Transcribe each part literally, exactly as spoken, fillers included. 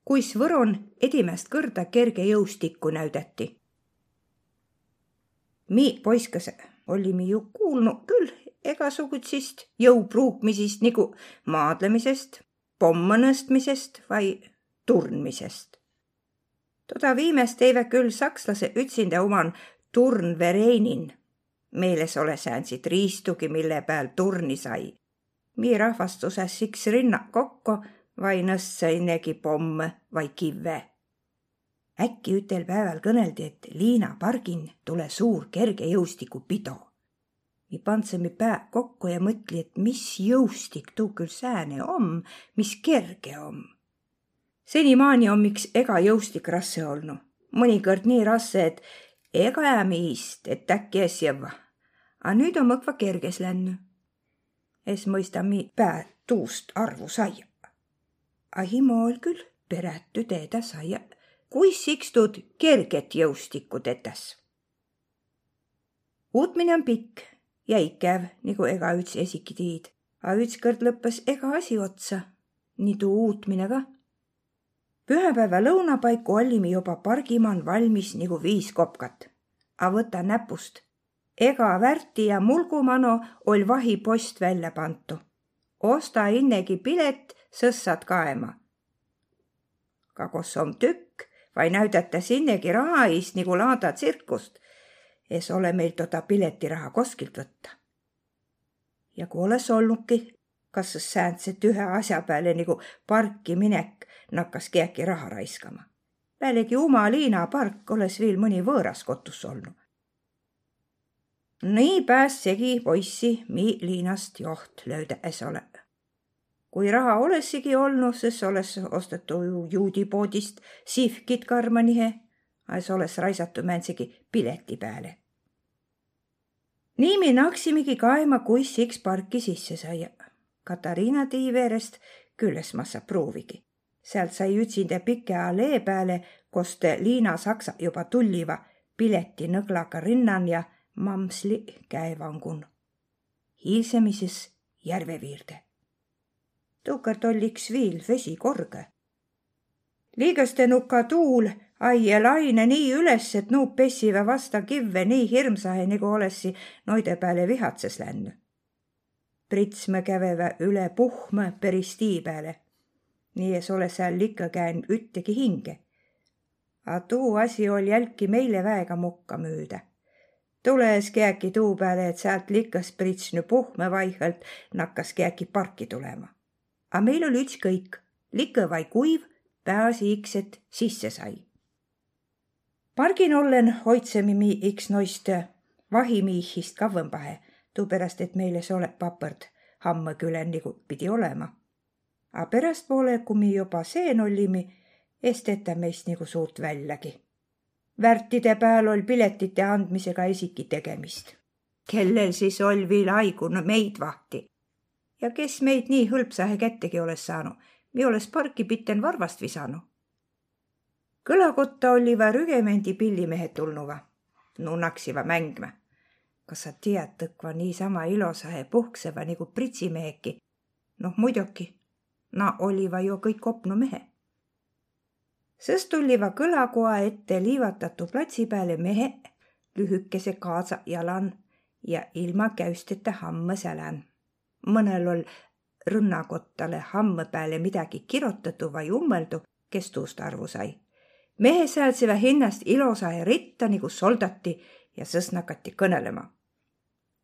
kuis Võron edimäst kõrda kerge jõustikku näüdäti. Mi poiskase ollimi ju kuulnu kül egasugutsist jõu pruukmisist nigu maadlemisest, pommõ nõstmisest vai turnmisest. Toda viimäst teivä kül sakslase ütsindä uman turnvereinin. Meil es ole säändsit riistugi, mille pääl turni sai. Mi rahvastusas siks rinna kokko vai nõstsõ innegi pommõ vai kivve. Äkki ütel pääväl kõneldi, et Liina pargin tule suur kerge jõustiku pido. Mi pandsõmi pää kokko ja mõtli, et mis jõustik tuu kül sääne om, mis kerge om. Senimaani om iks ega jõustik rasse olnu. Mõnikõrd nii rasse, et ega äämi ist, et äkki es jõvva. A nüüt om õkva kerges lännü. Es mõista mi pää tuust arvu saia. A himo oll kül perätü teedä saia, kuis iks tuud kerget jõustikku tetäs. Uutmine om pikk ja ikäv, nigu egaüts esiki tiid. A ütskõrd lõppes ega asi otsa. Nii tuu uutmine ka. Pühäpäivä lõuna paiku ollimi joba pargi man valmis nigu viis kopkat. A võta näpust. Ega värti ja mulgu mano oll vahi post vällä pantu. Osta innegi pilet, sõs saat kaema. Ka kos om tükk, vai näüdätäs innegi raha iist nigu laada tsirkust. Es ole meil toda piletiraha koskilt võtta. Ja ku oles olnuki, kas sõs säändse tühä asja pääle nigu parki minek nakkas kiäki raha raiskama. Pealegi uma Liina park oles viil mõni võõras kotus olnu. Nii pääs segi poissi mi Liinast joht löüdä es ole. Kui raha olessigi olnu, sõs oles ostetu juudipoodist sihvkit karmanihe, a es oles raisatu mändsegi pileti pääle. Nii mi naksimigi kaema, kuis iks parki sisse saia. Katariina tii veerest kül es massa pruuvigi. Säält sai ütsindä pikä alee pääle, kost Liina saksa joba tulliva, pileti nõglaga rinnan ja mamsli käevangun. Hiilsemi sis järve viirde. Tuukart oll iks viil vesi korgõ. Liigõste nuka tuul ai ja laine nii üles, et nuu pessivä vasta kivve nii hirmsahe, nigu olessi noide pääle vihatsas lännü. Pritsmõ kävevä üle puhmõ peris tii pääle. Nii es ole sääl likõ kään üttegi hinge. A tuu asi oll jälki meile väega mokka müüdä. Tulõ es kiäki tuu pääle, et säält likõs pritsnü puhmõ vaihõlt nakkas kiäki parki tulema. A meil oll ütskõik, likõ vai kuiv, pääasi iks, et sisse sai. Pargin ollen hoidsemi mi iks noist vahimiihhist kavvõmbahe, tuuperäst et meil es ole papõrd Hammõ külän, nigu pidi olema. A perästpoole, ku mi joba seen ollimi, es tetä meist nigu suurt vällägi. Värtide pääl oll piletite andmisega esiki tegemist. Kellel sis oll viil aigu meid vahti? Ja kes meid nii hõlpsahe kättegi oles saanu, mi oles parki pitten varvast visanu. Kõlakotta olliva rügemendi pillimehe tulnuva. Nuu naksiva mängmä. Kas sa tiat, õkva niisama ilosahe puhkseva nigu pritsimeheki? Noh, muidoki, na olliva jo kõik opnu mehe. Sõs tulliva kõlakoa ette liivatatu platsi pääle mehe lühükese kaadsa jalan ja ilma käüstete hammõ sälän. Mõnel oll rõnnakottale hammõ pääle midägi kirotadu vai ummõldu, kes tuust arvu sai. Mehe säädsevä hinnäst ilosahe ritta nigu soldati ja sõs nakati kõnelema.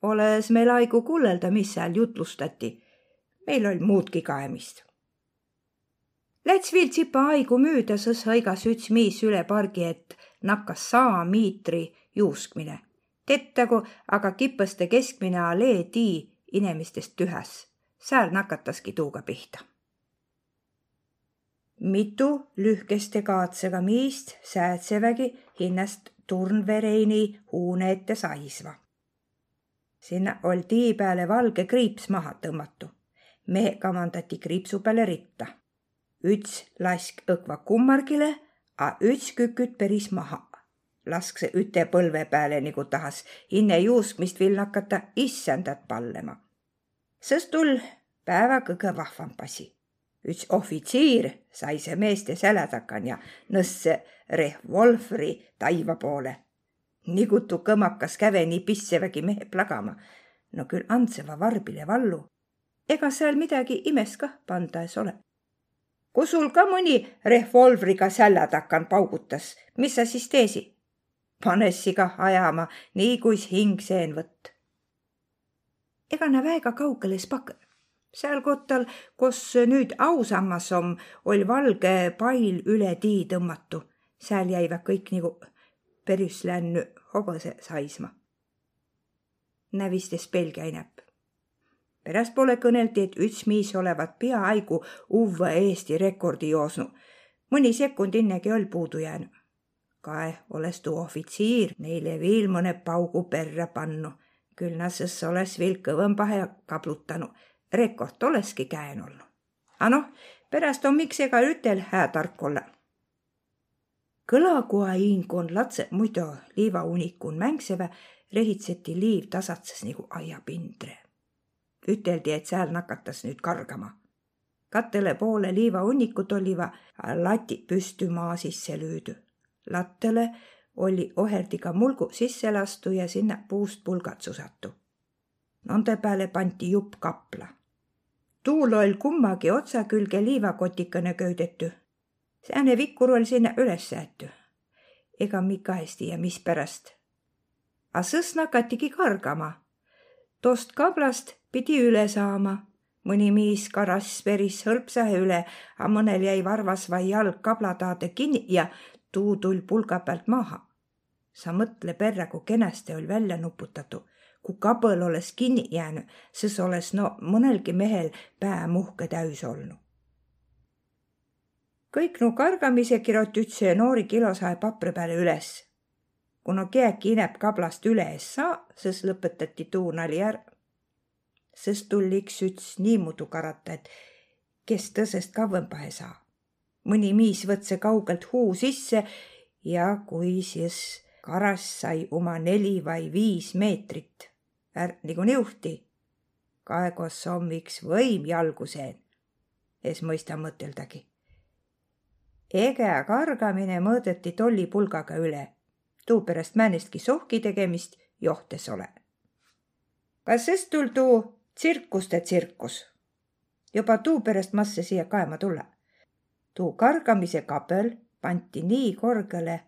Oles meil aigu kullelda, mis sääl jutlustati. Meil oll muudki kaemist. Läts viil tsipa aigu müüdä, sõs hõigas üts miis üle pargi, et nakkas saa miitri juuskmine. Tettagu aga kipõste keskmine alee tii inemistest tühäs. Sääl nakataski tuuga pihta. Mitu lühkeste kaadsega miist säädsevägi hinnäst turnvereini huune ette saisva. Sinnä oll tii pääle valge kriips maha tõmmatu. Mehe kamandati kriipsu pääle ritta. Üts lask õkva kummargile, a üts küküt peris maha. Lasksõ üte põlve pääle, nigu tahas inne juuskmist viil nakata issändat pallema. Sõs tull päävä kõgõ vahvamb asi. Üts ohfitsiir saise meeste sälä takan ja nõsse revolvri taiva poole. Nigutu kõmakas käve nii pissevägi mehe plagama. No küll andseva varbile vallu. Ega sääl midägi imes kah panda es ole. Ku sul ka mõni revolvriga sälä takan paugutas, mis sa sis teesi? Panessi kah ajama, nii kuis hing seen võtt. Ega nä väega kaugel es pakõ. Sääl kottal, kos nüüt ausammas om, oll valge pail üle tii tõmmatu. Sääl jäivä kõik nigu perüs lännü hobõse saisma. Nä vist es pelgä inäp. Peräst poole kõneldi, et üts miis olevat piaaigu uvvõ Eesti rekordi joosnu. Mõni sekund innegi oll puudu jäänü. Kae oles tuu ohfitsiir neile viil mõne paugu perrä pannu. Küll na sõs oles viil kõvõmbahe kablutanu. Rekord oleski käen olnu. A noh, peräst om iks ega ütel hää tark olla. Kõlagua iin, kon latsõ muido liivaunikun mängsevä, rehitseti liiv tasatsas nigu aiapindre. Üteldi, et sääl nakatas nüüt kargama. Katõle poole liivaunnikut olliva lati püstü maa sisse lüüdü. Lattele olli oherdiga mulgu sisse lastu ja sinnä puust pulgad susatu. Nonde pääle panti jupp kapla. Tuul oll kummagi otsa külge liivakotikene köüdetü. Sääne vikkur oll sinnä üles säetü. Ega mi ka es tiiä, misperäst. A sõs nakatigi kargama. Tost kablast pidi üle saama. Mõni miis karass peris hõlpsahe üle, a mõnel jäi varvas vai jalg kabla taade kinni ja tuu tull pulga päält maha. Sa mõtle perrä, ku kenäste oll vällä nuputatu. Ku kabõl oles kinni jäänü, sõs oles no mõnelgi mehel pää muhke täüs olnu. Kõik nu kargamise kiroti üts noori kilosahe paprõ pääle üles. Ku no kiäki inäp kablast üle es saa, sõs lõpetati tuu nali är. Sõs tull iks üts niimuudu karata, et kes tõsest kavvõmbahe saa. Mõni miis võtse kaugelt huu sisse ja kui sis karass sai uma neli vai viis meetrit, är nigu niuhti. Kaegos om iks võim jalgu seen. Es mõista mõteldagi. Egä kargamine mõõdeti tolli pulgaga üle. Tuuperäst määnestki suhki tegemist joht es ole. Ka sõs tull tuu tsirkuste tsirkus. Joba tuuperäst masse siia kaema tulla. Tuu kargamise kabel panti nii korgele,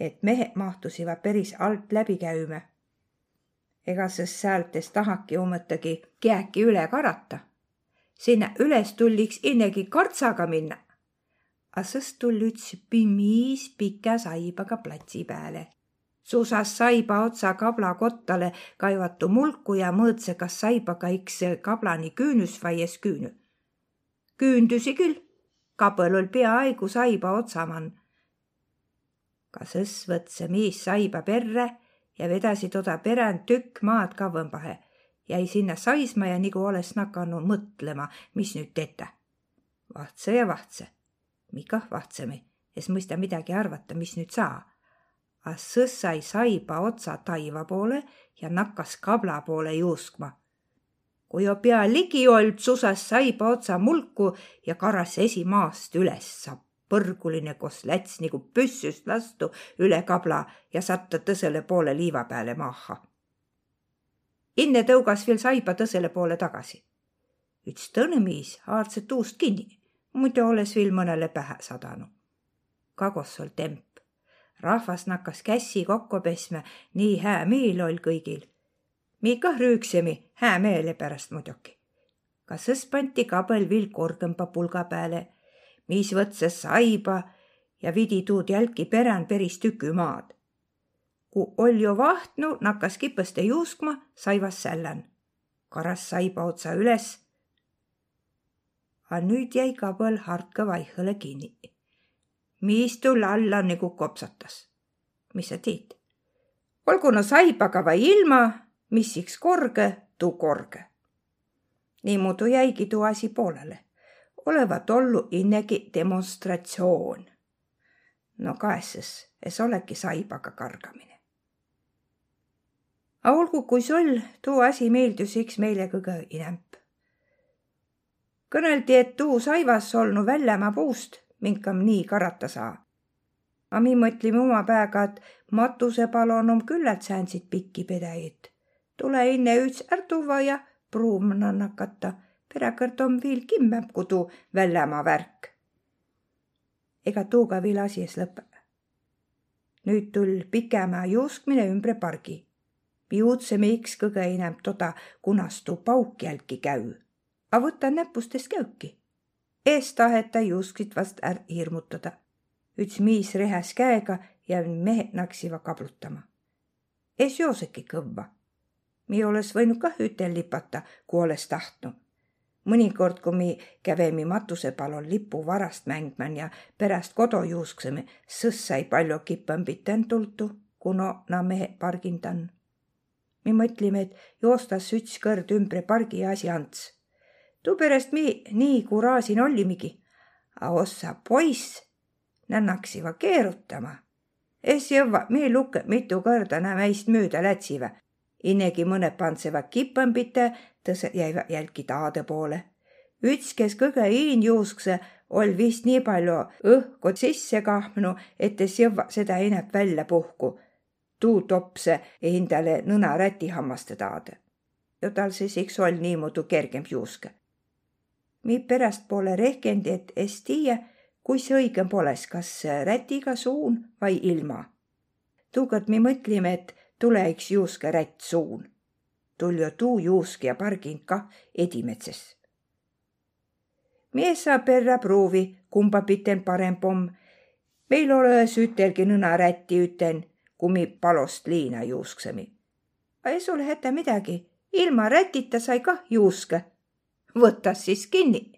et mehe mahtusiva peris alt läbi käümä. Ega sõs säält es tahaki umõttagi kiäki üle karata. Sinnä üles tull iks innegi kardsaga minnä. A sõs tull üts pi-, miis pikä saibaga platsi pääle. Susas saiba otsa kabla kottale kaivatu mulku ja mõõdse, kas saibaga iks kablani küünüs vai es küünü. Küündüsi küll, kabel oll piaaigu saiba otsa man. Ka sõs võtse miis saiba perrä ja vedasi toda perän tükk maad kavvõmbahe. Jäi sinnä saisma ja nigu oles nakanu mõtlema, mis nüüt tetä. Vahtsõ ja vahtsõ. Mi kah vahtsemi, es mõista midägi arvata, mis nüüt saa. A sõs sai saiba otsa taiva poole ja nakkas kabla poole juuskma. Ku jo pia ligi oll, susas saiba otsa mulku ja karas esi maast üles. Sa põrguline, kos läts nigu püssüst lastu üle kabla ja satta tõsele poole liiva pääle maaha. Inne tõugas viil saiba tõsele poole tagasi. Üts tõnõ miis haardsõ tuust kinni, muido oles viil mõnele pähä sadanu. Kagos oll temp. Rahvas nakkas kässi kokko pesmä, nii hää miil oll kõigil. Mi kah rüüksemi, hää meele peräst muidoki. Ka sõs panti kabel viil korgõmba pulga pääle. Miis võtsõ saiba ja vidi tuud jälki perän peris tükü maad. Ku oll jo vahtnu, nakkas kipõste juuskma, saivas sällän. Karas saiba otsa üles. A nüüt jäi kabel hartkõ vaihõle kinni. Miis tull alla nigu kopsatas. Mis sa tiit? Olgu no saibaga vai ilma, mis iks korgõ, tuu korgõ. Niimuudu jäigi tuu asi poolele. Olevat ollu innegi demonstratsioon. No kaessas, es olegi saibaga kargamine. A olgu, kuis oll, tuu asi miildüs iks meile kõgõ inämb. Kõnõldi, et tuu saivas olnu vällämaa puust, minkam nii karata saa. A mi mõtlimi uma pääga, et matusepalon om küllalt säändsit pikki pedäjit. Tulõ inne üts ärtuvva ja pruuvma nakata. Peräkõrd om viil kimmämb ku tuu vällämaa värk. Ega tuuga viil asi es lõpe. Nüüt tull' pikämä juuskmine ümbre pargi. Mi uudsemi iks kõgõ inämb toda, kunas tuu pauk jälki käü. A võta näpust es käüki. Es taheta juusksit vast är hirmutada. Üts miis rehäs käega ja meheq naksiva kablutama. Es jooseki kõvva. Mi olõs võinu kah ütel lipata, ku olõs tahtnu. Mõnikord, ku mi kävemi matusepalon lipu varast mängmän ja peräst kodo juusksemi, sõs sai paljo kipõmbiten tultu, ku no na meheq pargindan. Mi mõtlimi, et joostas üts kõrd ümbre pargi asi ants. Tuuperäst mi nii kuraasin ollimigi. A ossa poiss, na naksiva keerutama. Es jõvva mi lukõ, mitu kõrda na meist müüdä lätsivä. Innegi mõned pandseva kipõmbite, tõsõ jäivä jälki taadõ poole. Üts, kes kõgõ iin juusksõ, oll' vist nii paljo õhko sisse kahmnu, et es jõvva sedä inämb vällä puhku. Tuu topsõ hindäle nõna rätihammastõ taadõ. Ja tal sis iks oll' niimuudu kergemb juuskõ. Mi perästpoolõ rehkendi, et es tiiä, kuis õigõmb olõs, kas rätiga suun vai ilma. Tuukõrd mi mõtlimi, et tulõ iks juuskõ rätt suun. Tull' jo tuu juuskja pargind kah edimädses. Mi es saa perrä pruuvi, kumba piten paremb om. Meil olõ-õs ütelgi nõna rätti üten, ku mi palost liina juusksemi. A es olõ hätä midägi, ilma rätita sai kah juuskõ. Võta sis kinni.